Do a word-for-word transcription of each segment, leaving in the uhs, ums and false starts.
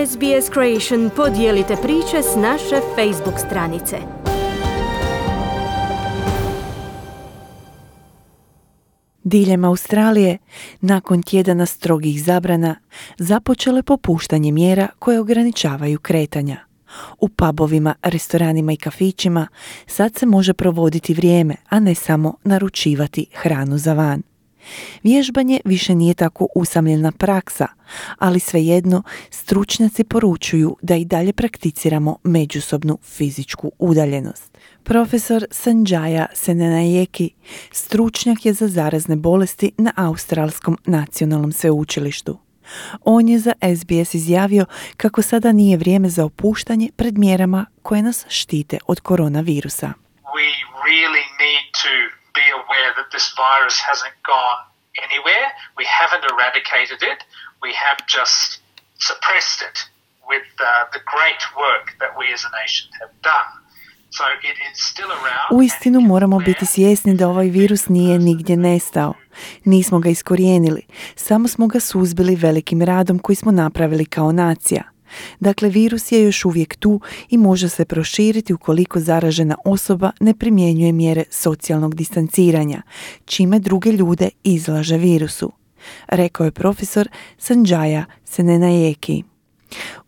S B S Creation podijelite priče s naše Facebook stranice. Diljem Australije, nakon tjedana strogih zabrana, započelo je popuštanje mjera koje ograničavaju kretanja. U pubovima, restoranima i kafićima sad se može provoditi vrijeme, a ne samo naručivati hranu za van. Vježbanje više nije tako usamljena praksa, ali svejedno stručnjaci poručuju da i dalje prakticiramo međusobnu fizičku udaljenost. Profesor Sanjaya Senanayake stručnjak je za zarazne bolesti na Australskom nacionalnom sveučilištu. On je za S B S izjavio kako sada nije vrijeme za opuštanje pred mjerama koje nas štite od koronavirusa. We really need to be aware that this virus hasn't gone anywhere. We haven't eradicated it. We have just suppressed it with uh, the great work that we as a nation have done. So it is still around. Uistinu moramo biti svjesni da ovaj virus nije nigdje nestao. Nismo ga iskorijenili, samo smo ga suzbili velikim radom koji smo napravili kao nacija. Dakle, virus je još uvijek tu i može se proširiti ukoliko zaražena osoba ne primjenjuje mjere socijalnog distanciranja, čime druge ljude izlaže virusu, rekao je profesor Sanjaya Senanayake.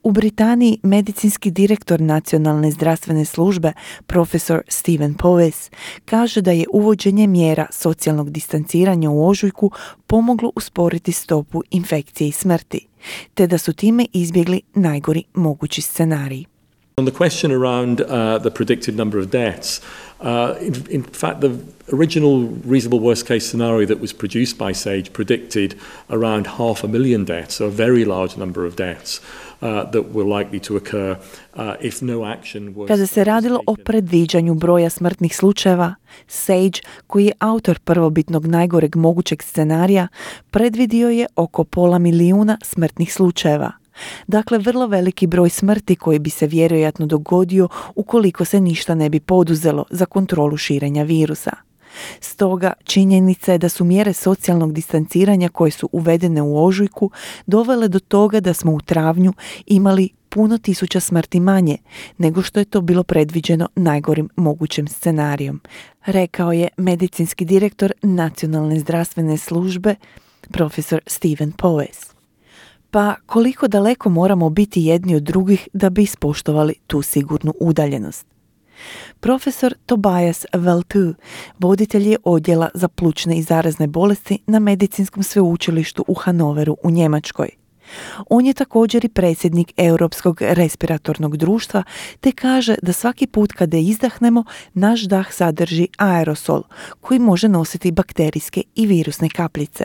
U Britaniji medicinski direktor Nacionalne zdravstvene službe, profesor Stephen Powis, kaže da je uvođenje mjera socijalnog distanciranja u ožujku pomoglo usporiti stopu infekcije i smrti, te da su time izbjegli najgori mogući scenarij. On the question around uh, the predicted number of deaths, uh, in, in fact, the original reasonable worst case scenario that was produced by SAGE predicted around half a million deaths, so a very large number of deaths uh, that were likely to occur uh, if no action was. Kada se radilo o predviđanju broja smrtnih slučajeva, SAGE, koji je autor prvobitnog najgoreg mogućeg scenarija, predvidio je oko pola milijuna smrtnih slučajeva. Dakle, vrlo veliki broj smrti koji bi se vjerojatno dogodio ukoliko se ništa ne bi poduzelo za kontrolu širenja virusa. Stoga, činjenica je da su mjere socijalnog distanciranja koje su uvedene u ožujku dovele do toga da smo u travnju imali puno tisuća smrti manje nego što je to bilo predviđeno najgorim mogućim scenarijom, rekao je medicinski direktor Nacionalne zdravstvene službe, profesor Stephen Powis. Pa koliko daleko moramo biti jedni od drugih da bi ispoštovali tu sigurnu udaljenost? Profesor Tobias Veltu, voditelj je odjela za plućne i zarazne bolesti na Medicinskom sveučilištu u Hanoveru u Njemačkoj. On je također i predsjednik Europskog respiratornog društva, te kaže da svaki put kada izdahnemo, naš dah sadrži aerosol koji može nositi bakterijske i virusne kapljice.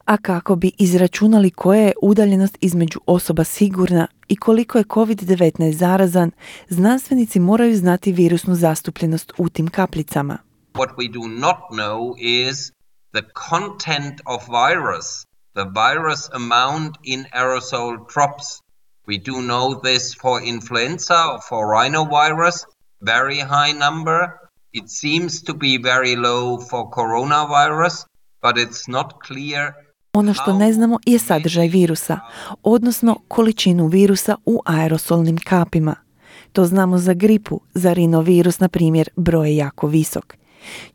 A kako bi izračunali koja je udaljenost između osoba sigurna i koliko je covid devetnaest zarazan, znanstvenici moraju znati virusnu zastupljenost u tim kapljicama. What we do not know is the content of virus, the virus amount in aerosol drops. We do know this for influenza or for rhinovirus, very high number. It seems to be very low for coronavirus. But it's not clear. Ono što ne znamo je sadržaj virusa, odnosno količinu virusa u aerosolnim kapima. To znamo za gripu, za rinovirus, na primjer, broj je jako visok.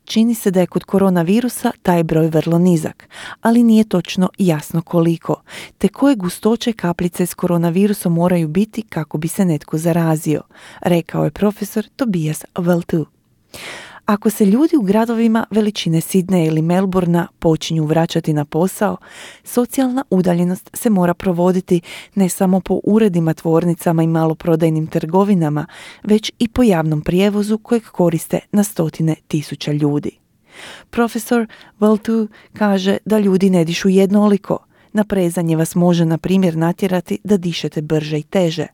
Čini se da je kod koronavirusa taj broj vrlo nizak, ali nije točno jasno koliko, te koje gustoće kapljice s koronavirusom moraju biti kako bi se netko zarazio, rekao je profesor Tobias Veltu. Ako se ljudi u gradovima veličine Sidneja ili Melbourna počinju vraćati na posao, socijalna udaljenost se mora provoditi ne samo po uredima, tvornicama i maloprodajnim trgovinama, već i po javnom prijevozu kojeg koriste na stotine tisuća ljudi. Profesor Veltu kaže da ljudi ne dišu jednoliko. Naprezanje vas može, na primjer, natjerati da dišete brže i teže,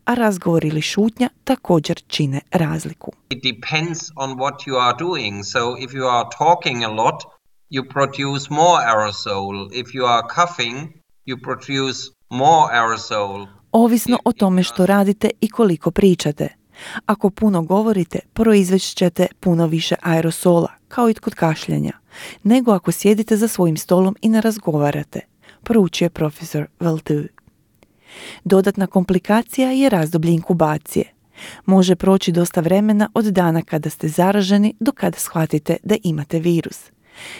a razgovor ili šutnja također čine razliku. It depends on what you are doing. So if you are talking a lot, you produce more aerosol. If you are coughing, you produce more aerosol. Ovisno o tome što radite i koliko pričate. Ako puno govorite, proizvest ćete puno više aerosola, kao i kod kašljanja, nego ako sjedite za svojim stolom i ne razgovarate, poručuje profesor Veltu. Dodatna komplikacija je razdoblje inkubacije. Može proći dosta vremena od dana kada ste zaraženi do kada shvatite da imate virus.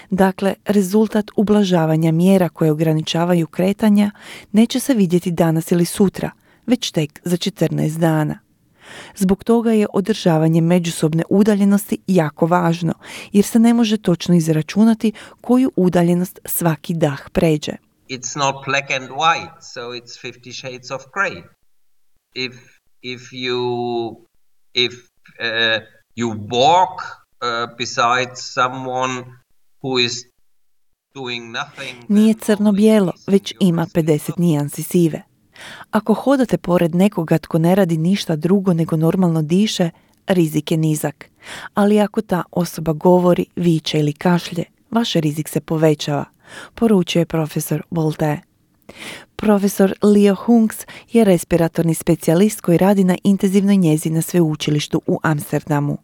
Dakle, rezultat ublažavanja mjera koje ograničavaju kretanja neće se vidjeti danas ili sutra, već tek za četrnaest dana. Zbog toga je održavanje međusobne udaljenosti jako važno, jer se ne može točno izračunati koju udaljenost svaki dah pređe. It's not black and white, so it's fifty shades of grey. If if you if uh, you walk uh, beside someone who is doing nothing, Nije crno-bijelo, već ima pedeset nijansi sive. Ako hodate pored nekoga tko ne radi ništa drugo nego normalno diše, rizik je nizak. Ali ako ta osoba govori, viče ili kašlje, vaš rizik se povećava, poručuje profesor Bolte. Profesor Leo Hunks je respiratorni specijalist koji radi na intenzivnoj njezi na sveučilištu u Amsterdamu.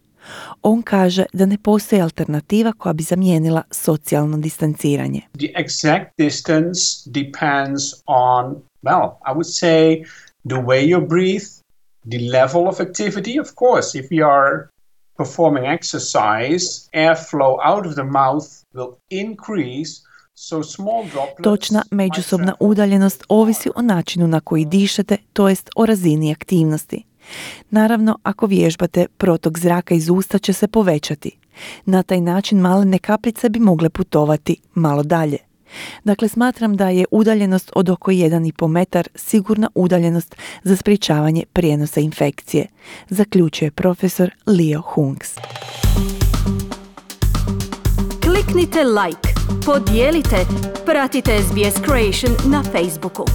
On kaže da ne postoji alternativa koja bi zamijenila socijalno distanciranje. The exact distance depends on, well, I would say the way you breathe, the level of activity. Of course, if you are performing exercise, airflow out of the mouth will increase. So small droplets. Točna međusobna udaljenost ovisi o načinu na koji dišete, to jest o razini aktivnosti. Naravno, ako vježbate, protok zraka iz usta će se povećati. Na taj način malene kapljice bi mogle putovati malo dalje. Dakle, smatram da je udaljenost od oko jedan i pol metar sigurna udaljenost za sprječavanje prijenosa infekcije, zaključuje profesor Leo Hunks. Kliknite like, podijelite, pratite S B S Creation na Facebooku.